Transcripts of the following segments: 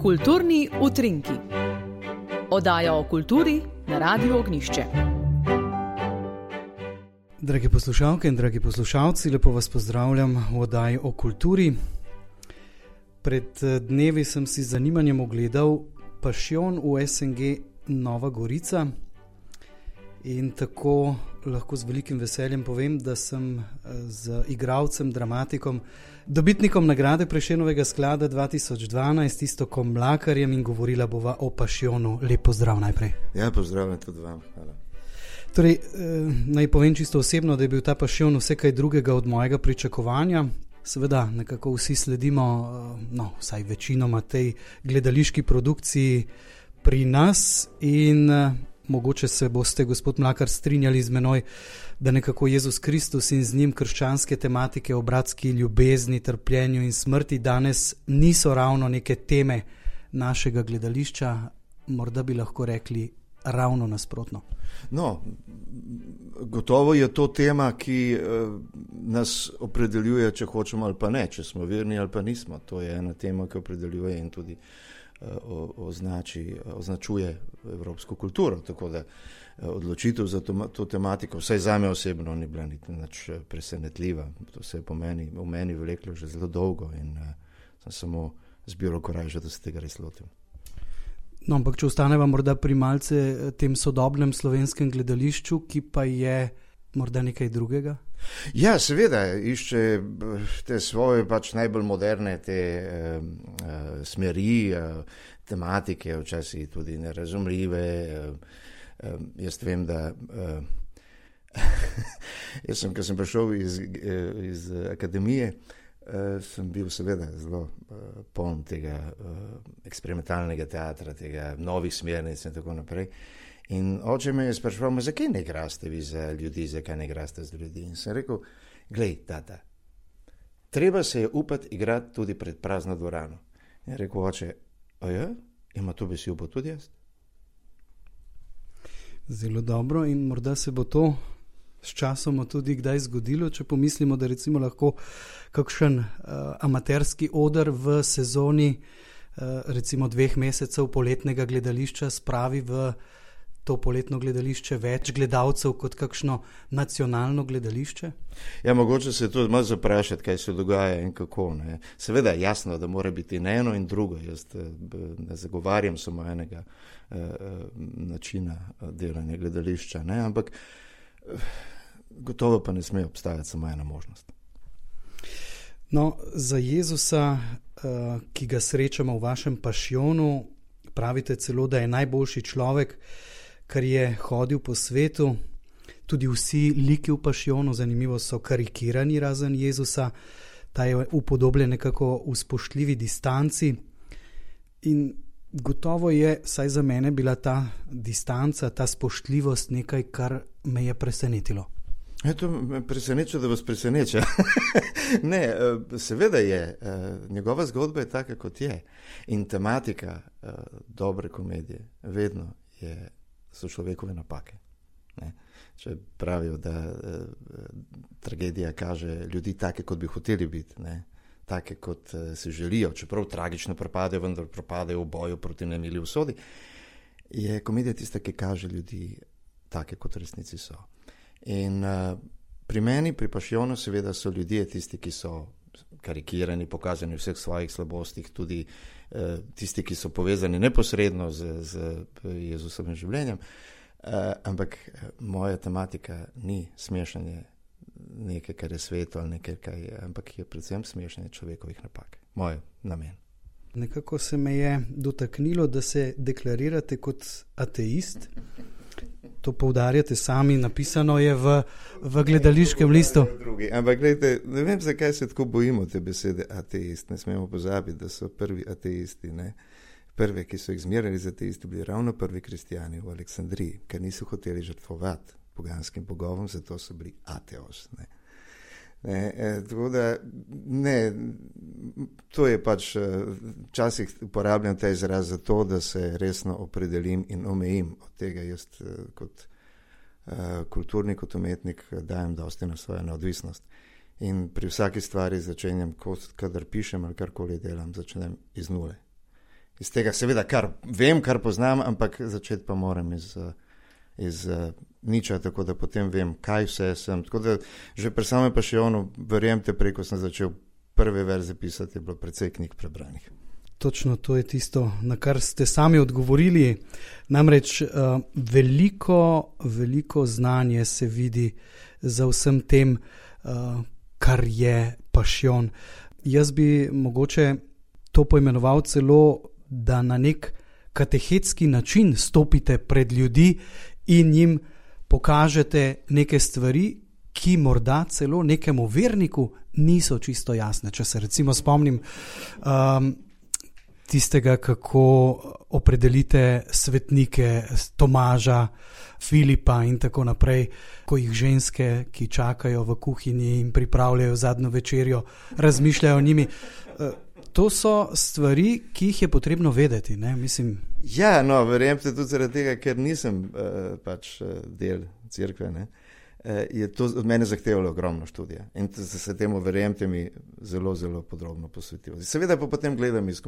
Kulturni utrinki. Oddaja o kulturi na Radiu Ognjišče. Dragi poslušalke in dragi poslušalci, lepo vas pozdravljam v oddaji o kulturi. Pred dnevi sem si z zanimanjem ogledal Pašjon v SNG Nova Gorica in tako lahko z velikim veseljem povem, da sem z igralcem, dramatikom, dobitnikom nagrade Prešernovega sklada 2012, Iztokom Mlakarjem, in govorila bova o Pašjonu. Lep pozdrav najprej. Ja, pozdravljam tudi vam. Hvala. Torej, naj povem čisto osebno, da je bil ta Pašjon vse kaj drugega od mojega pričakovanja. Seveda, nekako vsi sledimo, vsaj večinoma tej gledališki produkciji pri nas in mogoče se boste, gospod Mlakar, strinjali z menoj, da nekako Jezus Kristus in z njim krščanske tematike o bratski ljubezni, trpljenju in smrti danes niso ravno neke teme našega gledališča, morda bi lahko rekli ravno nasprotno. No, gotovo je to tema, ki nas opredeljuje, če hočemo ali pa ne, če smo verni ali pa nismo. To je ena tema, ki opredeljuje in tudi označuje evropsko kulturo, tako da odločitev za to tematiko, vsaj zame osebno, ni bila niti nič presenetljiva. To se je v meni vleklo že zelo dolgo in sem samo zbiral korajža, da se tega res lotim. No, ampak če ostaneva morda pri malce tem sodobnem slovenskem gledališču, ki pa je morda nekaj drugega? Ja, seveda, išče te svoje najbolj moderne te smeri, tematike, včasih tudi nerazumljive. Jaz vem, da ko sem prišel iz akademije, sem bil seveda zelo poln tega eksperimentalnega teatra, tega novih smernic in tako naprej. In oče me je spraševal, zakaj ne igraste vi za ljudi, zakaj ne igraste za ljudi? In sem rekel, glej, tata, treba se je upati igrati tudi pred prazno dvorano. In rekel, oče, ima to bi si upal tudi jaz? Zelo dobro, in morda se bo to s časom tudi kdaj zgodilo, če pomislimo, da recimo lahko kakšen amaterski oder v sezoni recimo 2 mesecev poletnega gledališča spravi v to poletno gledališče več gledalcev kot kakšno nacionalno gledališče? Ja, mogoče se tudi malo zaprašati, kaj se dogaja in kako. Ne. Seveda je jasno, da mora biti in eno in drugo. Jaz ne zagovarjam samo enega načina delanja gledališča, ne, ampak gotovo pa ne sme obstajati samo ena možnost. No, za Jezusa, ki ga srečamo v vašem Pašjonu, pravite celo, da je najboljši človek, kar je hodil po svetu. Tudi vsi liki v Pašjonu, zanimivo, so karikirani razen Jezusa. Ta je upodobljen nekako v spoštljivi distanci. In gotovo je, saj za mene, bila ta distanca, ta spoštljivost nekaj, kar me je presenetilo. To me preseneča, da vas preseneča. Ne, seveda je. Njegova zgodba je taka, kot je. In tematika dobre komedije vedno so človekove napake. Ne? Če pravijo, da tragedija kaže ljudi take, kot bi hoteli biti, ne? Take, kot si želijo, čeprav tragično propadajo, vendar propadajo v boju proti nemili usodi, je komedija tista, ki kaže ljudi take, kot v resnici so. In pri meni, pri Pašjonu, seveda so ljudje tisti, ki so karikirani, pokazani v vseh svojih slabostih, tudi tisti, ki so povezani neposredno z Jezusovim življenjem, ampak moja tematika ni smešanje nekaj, kar je sveto ali nekaj, ampak je predvsem smešanje človekovih napak. Moj namen. Nekako se me je dotaknilo, da se deklarirate kot ateist. To poudarjate sami, napisano je v gledališkem listu. Ampak gledajte, ne vem, zakaj se tako bojimo te besede ateist. Ne smemo pozabiti, da so prvi ateisti, ne? Prve, ki so jih zmerjali za ateisti, bili ravno prvi kristijani v Aleksandriji, ker niso hoteli žrtvovati poganskim bogovom, zato so bili ateos. Ne? Tako da, ne, to je včasih uporabljam ta izraz za to, da se resno opredelim in omejim. Od tega jaz kot kulturnik, kot umetnik dajem dosti na svojo neodvisnost. In pri vsaki stvari začenjam, kadar pišem ali karkoli delam, začnem iz nule. iz tega seveda, kar vem, kar poznam, ampak začeti pa moram iz niča, tako da potem vem, kaj vse sem. Tako da že pri samem Pašionu, verjemite, preko sem začel prve verze pisati, je bilo precej knjig prebranih. Točno to je tisto, na kar ste sami odgovorili. Namreč veliko znanje se vidi za vsem tem, kar je Pašion. Jaz bi mogoče to poimenoval celo, da na nek katehetski način stopite pred ljudi in jim pokažete neke stvari, ki morda celo nekemu verniku niso čisto jasne. Če se recimo spomnim tistega, kako opredelite svetnike Tomaža, Filipa in tako naprej, ko jih ženske, ki čakajo v kuhinji in pripravljajo zadnjo večerjo, razmišljajo o njimi. To so stvari, ki jih je potrebno vedeti, ne? Mislim. Ja, no, verjemite tudi zaradi tega, ker nisem del cerkve, ne? Je to od mene zahtevalo ogromno študija in se temu, verjemite mi, zelo, zelo podrobno posvetil. Seveda pa potem gledam iz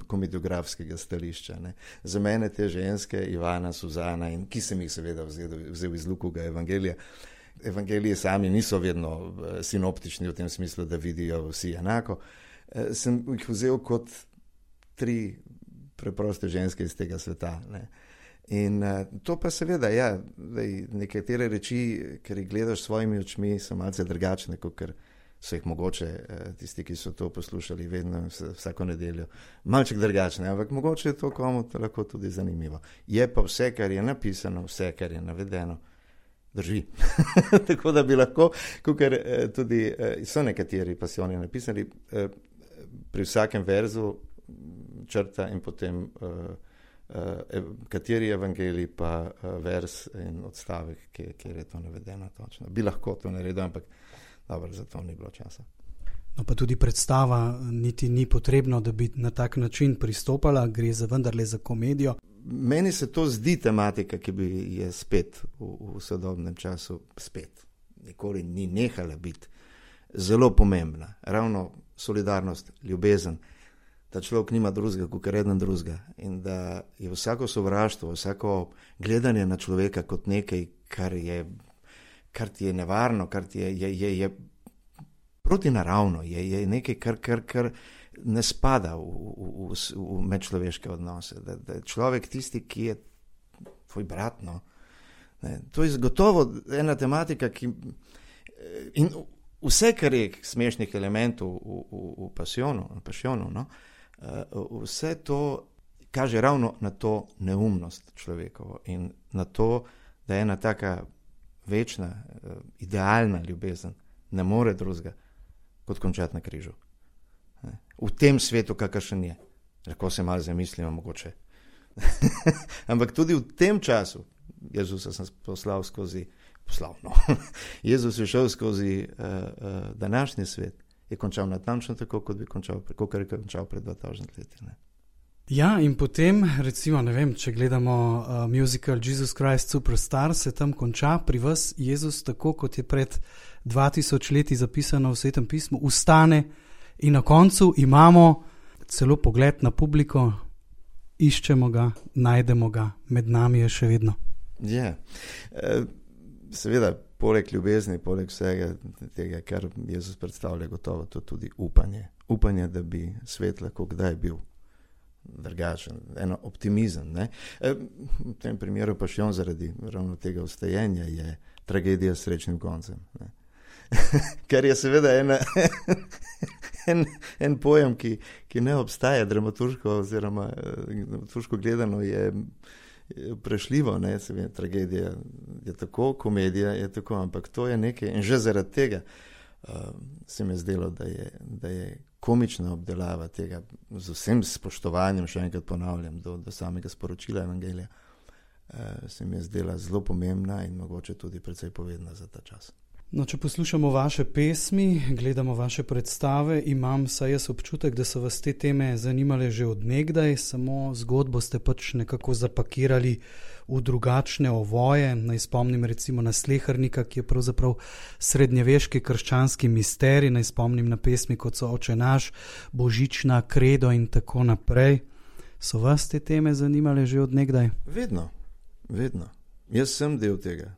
komediografskega stališča. Ne. Za mene te ženske, Ivana, Suzana, in ki sem jih seveda vzel iz Lukovega evangelija. Evangelije sami niso vedno sinoptični v tem smislu, da vidijo vsi enako. Sem jih vzel kot 3 preproste ženske iz tega sveta, ne. In to pa seveda, ja, nekatere reči, ker jih gledaš s svojimi očmi, so malce drugačne, kot so jih mogoče tisti, ki so to poslušali vedno vsako nedeljo, malček drugačne, ampak mogoče je to komu lahko tudi zanimivo. Je pa vse, kar je napisano, vse, kar je navedeno, drži. Tako da bi lahko, ker tudi so nekateri pasijoni napisali, pri vsakem verzu črta in potem kateri evangelij pa vers in odstavek, kjer je to navedeno točno. Bi lahko to naredil, ampak dobro, za to ni bilo časa. No pa tudi predstava niti ni potrebno, da bi na tak način pristopala, gre za vendarle za komedijo. Meni se to zdi tematika, ki je spet v sodobnem času spet. Nikoli ni nehala biti zelo pomembna. Ravno solidarnost, ljubezen, da človek nima drugega, kot eden drugega in da je vsako sovraštvo, vsako gledanje na človeka kot nekaj, kar ti je nevarno, kar ti je protinaravno, je nekaj, kar ne spada v medčloveške odnose. Da je človek tisti, ki je tvoj brat. No. To je gotovo ena tematika, in vse, kar je smešnih elementov v Pašionu, no, vse to kaže ravno na to neumnost človekovo in na to, da je ena taka večna, idealna ljubezen ne more drugega kot končati na križu. V tem svetu, kakršen je. Lahko se malo zamislimo mogoče. Ampak tudi v tem času Jezusa sem Jezus je šel skozi današnji svet, je končal natančno tako, kot je končal pred 2000 leti. Ne? Ja, in potem, recimo, ne vem, če gledamo musical Jesus Christ Superstar, se tam konča pri vas Jezus tako, kot je pred 2000 leti zapisano v Svetem pismu, ustane in na koncu imamo celo pogled na publiko, iščemo ga, najdemo ga, med nami je še vedno. Ja, seveda, poleg ljubezni, poleg vsega tega, kar Jezus predstavlja, gotovo to tudi upanje. Upanje, da bi svet lahko kdaj bil drugačen, eno optimizem. Ne? V tem primeru Pašion zaradi ravno tega vstajenja je tragedija s srečnim koncem. Ne? Ker je seveda en pojem, ki ne obstaja dramaturško oziroma dramaturško gledano je prešljivo, ne, seveda, tragedija je tako, komedija je tako, ampak to je nekaj in že zaradi tega se mi je zdelo, da je komična obdelava tega z vsem spoštovanjem, še enkrat ponavljam, do samega sporočila evangelija, se mi je zdela zelo pomembna in mogoče tudi precej povedna za ta čas. No, če poslušamo vaše pesmi, gledamo vaše predstave, imam saj jaz občutek, da so vas te teme zanimale že od nekdaj, samo zgodbo ste pač nekako zapakirali v drugačne ovoje. Naj spomnim recimo na Slehernika, ki je pravzaprav srednjeveški krščanski misterij, naj spomnim na pesmi, kot so Oče naš, Božična, Kredo in tako naprej. So vas te teme zanimale že od nekdaj? Vedno. Jaz sem del tega,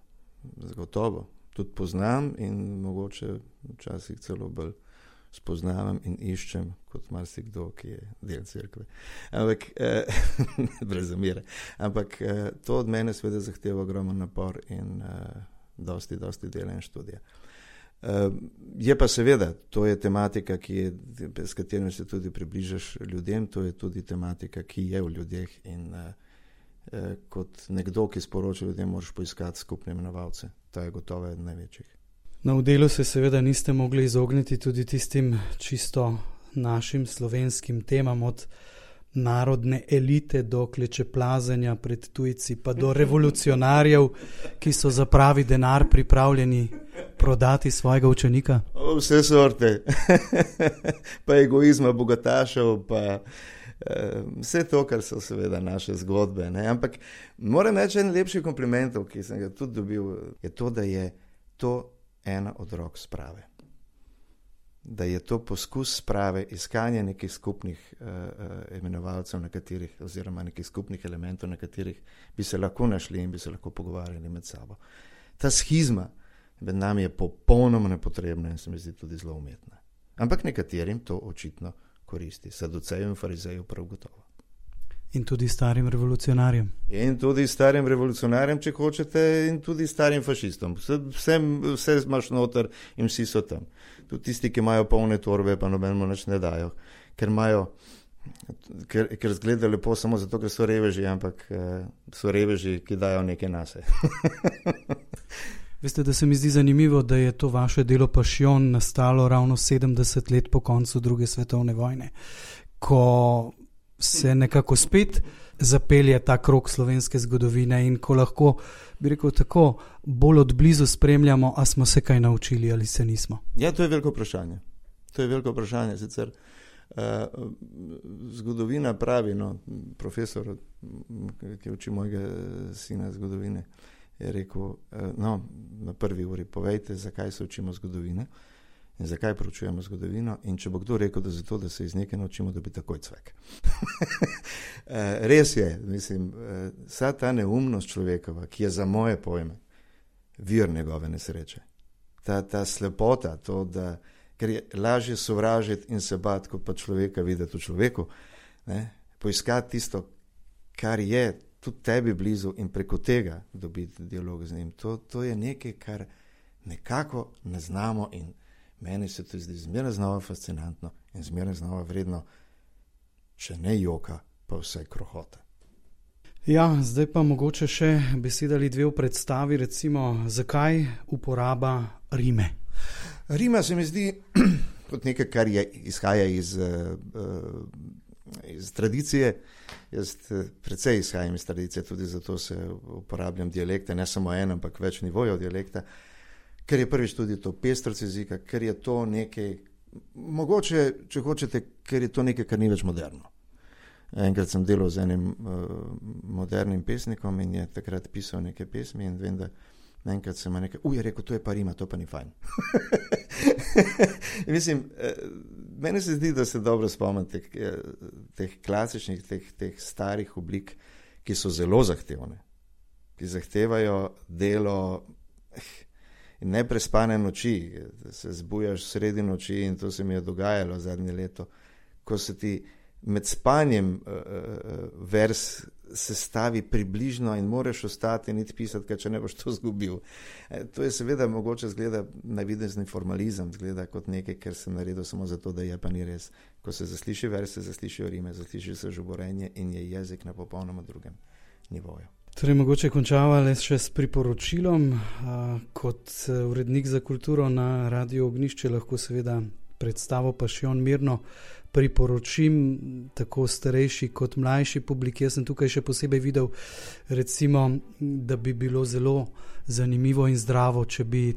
zagotovo. Tudi poznam in mogoče včasih celo bolj spoznavam in iščem kot marsikdo, ki je del cerkve. Ampak, brez zamere. Ampak to od mene seveda zahteva ogromen napor in dosti dela in študija. Je pa seveda, to je tematika, s katero se tudi približaš ljudem, to je tudi tematika, ki je v ljudeh in kot nekdo, ki sporoča ljudem, moraš poiskati skupne imenovalce. To je gotovo eden največjih. Na delu se seveda niste mogli izogniti tudi tistim čisto našim slovenskim temam, od narodne elite do klečeplazenja pred tujci, pa do revolucionarjev, ki so za pravi denar pripravljeni prodati svojega učenika? Vse sorte. Pa egoizma bogatašev, pa vse to, kar so seveda naše zgodbe. Ne? Ampak moram reči, en lepši komplimentov, ki sem ga tudi dobil, je to, da je to ena od rok sprave. Da je to poskus sprave, iskanje nekih skupnih imenovalcev, na katerih, oziroma nekih skupnih elementov, na katerih bi se lahko našli in bi se lahko pogovarjali med sabo. Ta schizma med nami je popolnoma nepotrebna in se mi zdi tudi zelo umetna. Ampak nekaterim to očitno koristi. Saduceju in farizeju prav gotovo. In tudi starim revolucionarjem. In tudi starim revolucionarjem, če hočete, in tudi starim fašistom. Vse imaš noter in vsi so tam. Tudi tisti, ki imajo polne torbe, pa nobenemu nič ne dajo, ker zgleda lepo samo zato, ker so reveži, ampak so reveži, ki dajo nekaj nase. Veste, da se mi zdi zanimivo, da je to vaše delo Pašjon nastalo ravno 70 let po koncu druge svetovne vojne, ko se nekako spet zapelje ta krog slovenske zgodovine in ko lahko, bi rekel tako, bolj od blizu spremljamo, a smo se kaj naučili ali se nismo. Ja, to je veliko vprašanje. Sicer zgodovina pravi, profesor, ki uči mojega sina zgodovine, je rekel, na prvi uri povejte, zakaj se učimo zgodovine in zakaj proučujemo zgodovino, in če bo kdo rekel, da zato, da se iz nekaj naučimo, da bi takoj cvek. Res je, mislim, vsa ta neumnost človekova, ki je za moje pojme vir njegove nesreče, ta slepota, to, da, ker je lažje sovražiti in se bati, kot pa človeka videti v človeku, ne? Poiskati tisto, kar je tudi tebi blizu in preko tega dobiti dialog z njim. To je nekaj, kar nekako ne znamo in meni se to zdi zmeraj znova fascinantno in zmeraj znova vredno, če ne joka, pa vsaj krohota. Ja, zdaj pa mogoče še beseda ali dve v predstavi, recimo, zakaj uporaba rime? Rima se mi zdi kot nekaj, kar izhaja iz tradicije. Jaz precej izhajam iz tradicije, tudi zato se uporabljam dialekte, ne samo en, ampak več nivojev dialekta, ker je prvič tudi to pestrost jezika, ker je to nekaj, mogoče, če hočete, ker je to nekaj, kar ni več moderno. Enkrat sem delal z enim modernim pesnikom in je takrat pisal neke pesmi in vem, da enkrat sem nekaj, je rekel, to je pa rima, to pa ni fajn. Mislim, meni se zdi, da se dobro spomnite teh klasičnih, teh starih oblik, ki so zelo zahtevne, ki zahtevajo delo in neprespane noči, se zbujaš sredi noči in to se mi je dogajalo zadnje leto, ko se ti med spanjem vers sestavi približno in moraš ostati in iti pisati, ker če ne boš to zgubil. To je seveda mogoče zgleda navidezni formalizem, zgleda kot nekaj, ker sem naredil samo zato, da je pa ni res. Ko se zasliši vers, se zaslišijo rime, zasliši se žuborenje in je jezik na popolnoma drugem nivoju. Torej, mogoče končava le še s priporočilom. Kot urednik za kulturo na Radio Ognjišče lahko seveda predstavo Pašjon mirno priporočim tako starejši kot mlajši publiki. Jaz sem tukaj še posebej videl, recimo, da bi bilo zelo zanimivo in zdravo, če bi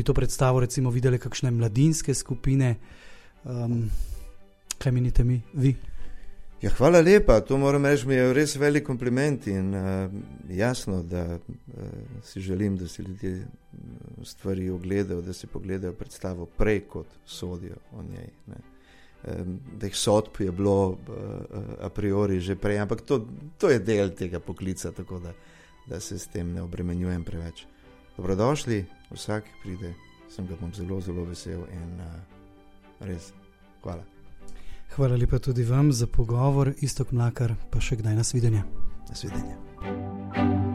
to predstavo recimo videli kakšne mladinske skupine. Kaj menite vi? Ja, hvala lepa, to moram reči, mi je res velik kompliment in jasno, da si želim, da si ljudje stvari ogledajo, da si pogledajo predstavo prej, kot sodijo o njej. Ne. da jih sodb je bilo a priori že prej, ampak to je del tega poklica, tako da se s tem ne obremenjujem preveč. Dobrodošli, vsak pride, sem ga bom zelo, zelo vesel in res hvala. Hvala lepa tudi vam za pogovor, Iztok Mlakar, pa še kdaj nasvidenje. Nasvidenje.